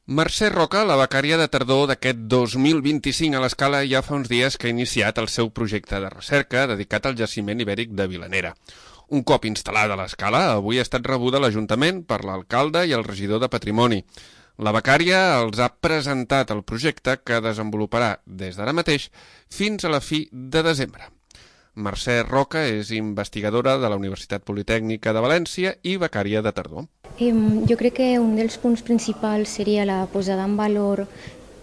Mercè Roca, la becària de tardor d'aquest 2025 a l'Escala, ja fa uns dies que ha iniciat el seu projecte de recerca dedicat al jaciment ibèric de Vilanera. Un cop instal·lada a l'Escala, avui ha estat rebuda a l'Ajuntament per l'alcalde i el regidor de Patrimoni. La becària els ha presentat el projecte que desenvoluparà des d'ara mateix fins a la fi de desembre. Mercè Roca és investigadora de la Universitat Politècnica de València i becària de tardor. Jo crec que un dels punts principals seria la posada en valor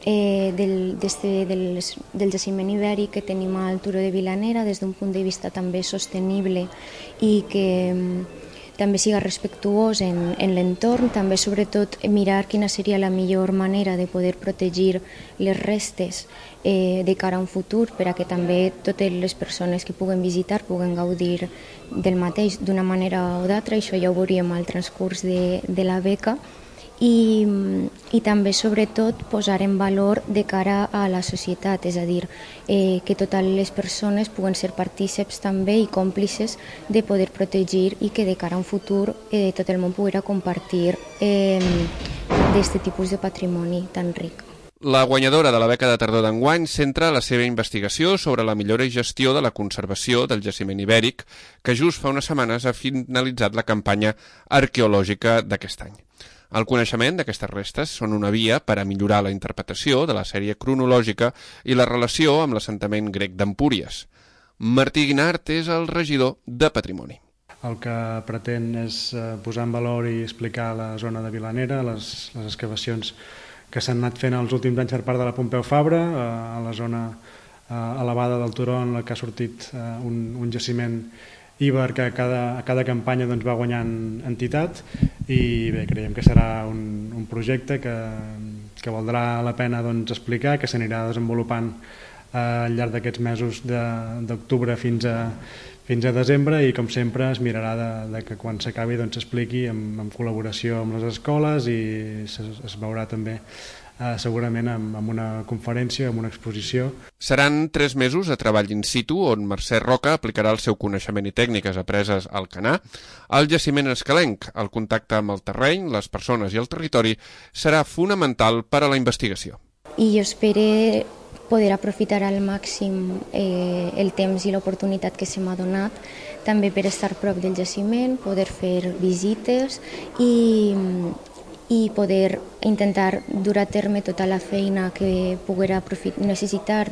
del jaciment ibèric que tenim al Turó de Vilanera des d'un punt de vista també sostenible i que també siga respectuós en l'entorn, també sobretot mirar quina seria la millor manera de poder protegir les restes de cara a un futur per a que també totes les persones que puguen visitar puguen gaudir del mateix d'una manera o d'altra. Això ja ho veuríem al transcurs de la beca. I també, sobretot, posar en valor de cara a la societat, és a dir, que totes les persones puguen ser partíceps també i còmplices de poder protegir i que de cara a un futur tot el món pugui compartir d'aquest tipus de patrimoni tan ric. La guanyadora de la beca de tardor d'enguany centra la seva investigació sobre la millora i gestió de la conservació del jaciment ibèric, que just fa unes setmanes ha finalitzat la campanya arqueològica d'aquest any. El coneixement d'aquestes restes són una via per a millorar la interpretació de la sèrie cronològica i la relació amb l'assentament grec d'Empúries. Martí Guinart és el regidor de Patrimoni. El que pretén és posar en valor i explicar la zona de Vilanera, les excavacions que s'han anat fent els últims anys per part de la Pompeu Fabra, a la zona elevada del turó en la que ha sortit un jaciment íber que a cada campanya va guanyant entitat, i bé, creiem que serà un projecte que valdrà la pena explicar, que s'anirà desenvolupant al llarg d'aquests mesos d'octubre fins a desembre, i com sempre es mirarà que quan s'acabi s'expliqui en col·laboració amb les escoles, i es veurà també segurament amb una conferència, amb una exposició. Seran 3 mesos de treball in situ on Mercè Roca aplicarà el seu coneixement i tècniques apreses al Canà al jaciment escalenc. El contacte amb el terreny, les persones i el territori serà fonamental per a la investigació. I jo espero poder aprofitar al màxim el temps i l'oportunitat que se m'ha donat, també per estar prop del jaciment, poder fer visites i poder intentar dur a terme tota la feina que poguera necessitar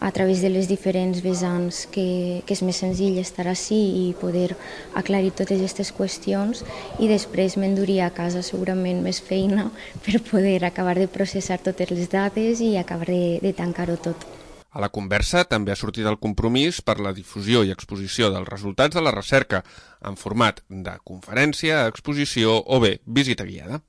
a través de les diferents vessants, que és més senzill estar ací i poder aclarir totes aquestes qüestions, i després m'enduria a casa segurament més feina per poder acabar de processar totes les dades i acabar de tancar-ho tot. A la conversa també ha sortit el compromís per la difusió i exposició dels resultats de la recerca en format de conferència, exposició o bé visita guiada.